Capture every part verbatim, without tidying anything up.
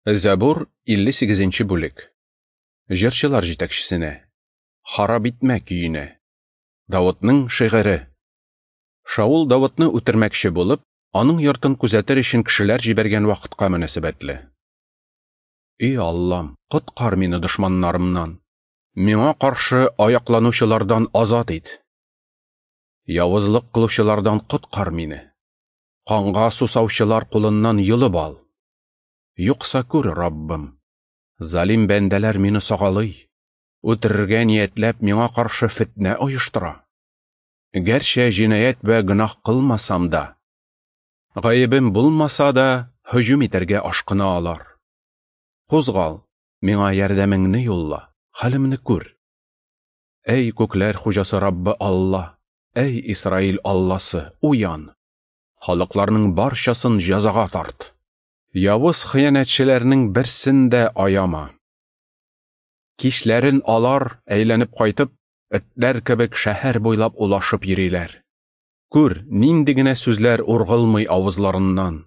Зәбур илле сигезенче бүлек. Җырчылар җитәкчесенә. Харап итмә көенә. Давытның шигыре. Шаул Давытны үтермәкче булып, аның йортын күзәтер өчен кешеләр җибәргән вакытка мөнәсәбәтле. Эй Аллам, коткар мине дошманнарымнан. Миңа каршы аякланучылардан азат ит. Явызлык кылучылардан коткар мине. Канга сусаучылар кулыннан йолып ал. Юкса күр, Раббым, залим бәндәләр мине сагалый, үтерергә ниятләп миңа каршы фетнә оештыра. Гәрчә җинаять вә гөнаһ кылмасам да, гаебем булмаса да, һөҗүм итәргә ашкына алар. Кузгал, миңа ярдәмеңне юлла, хәлемне күр. Әй күкләр хуҗасы Раббы Алла, әй Исраил Алласы, уян. Халыкларның барчасын җәзага тарт. Явыз хыянәтчеләрнең берсен дә аяма. Кичләрен алар әйләнеп кайтып, этләр кебек шәһәр буйлап улашып йөриләр. Күр, нинди генә сүзләр ургылмый авызларыннан.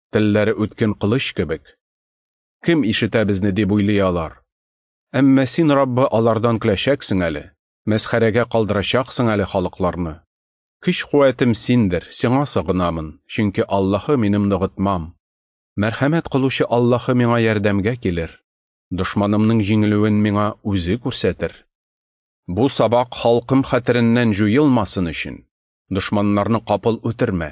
Телләре үткен кылыч кебек. Кем ишетә безне дип уйлый алар. Әмма син, Раббы, алардан көләчәксең әле, мәсхәрәгә калдырачаксың әле халыкларны. Көч-куәтем синдер, сиңа сыгынамын, чөнки Аллаһы минем ныгытмам. Мәрхәмәт кылучы Аллаһы миңа ярдәмгә килер. Дошманымның җиңелүен миңа үзе күрсәтер. Бу сабак халкым хәтереннән җуелмасын өчен, дошманнарны капыл үтермә.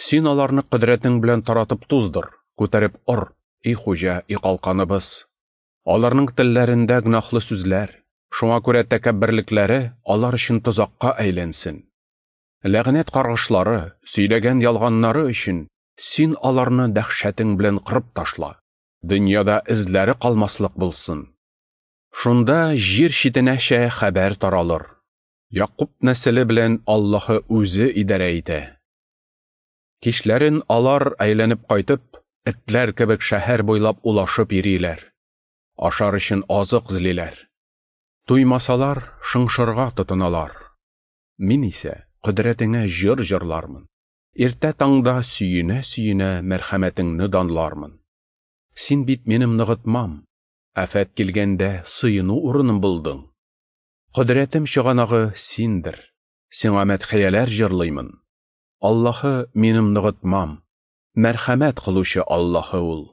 Син аларны кодрәтең белән таратып туздыр, күтәреп ор, эй хуҗа, эй калканыбыз. Аларның телләрендә гөнаһлы сүзләр, шуңа күрә тәкәбберлекләре алар өчен тозакка әйләнсен. Ләгънәт каргышлары, сөйләгән ялганнары өчен син аларны дәһшәтең белән кырып ташла. Дөньяда эзләре калмаслык булсын. Шунда җир читенәчә хәбәр таралыр. Якуб нәселе белән Аллаһы үзе идарә итә. Кичләрен алар әйләнеп кайтып, этләр кебек шәһәр буйлап улашып йөриләр. Ашар өчен азык эзлиләр. Туймасалар, шыңшырга тотыналар. Мин исә кодрәтеңә җыр җырлармын. Иртә таңда сөенә-сөенә мәрхәмәтеңне данлармын. Син бит минем ныгытмам, афәт килгәндә сыену урыным булдың. Кодрәтем чыганагы синдер, сиңа мәдхияләр җырлыймын. Аллаһы минем ныгытмам, мәрхәмәт кылучы Аллаһы ул.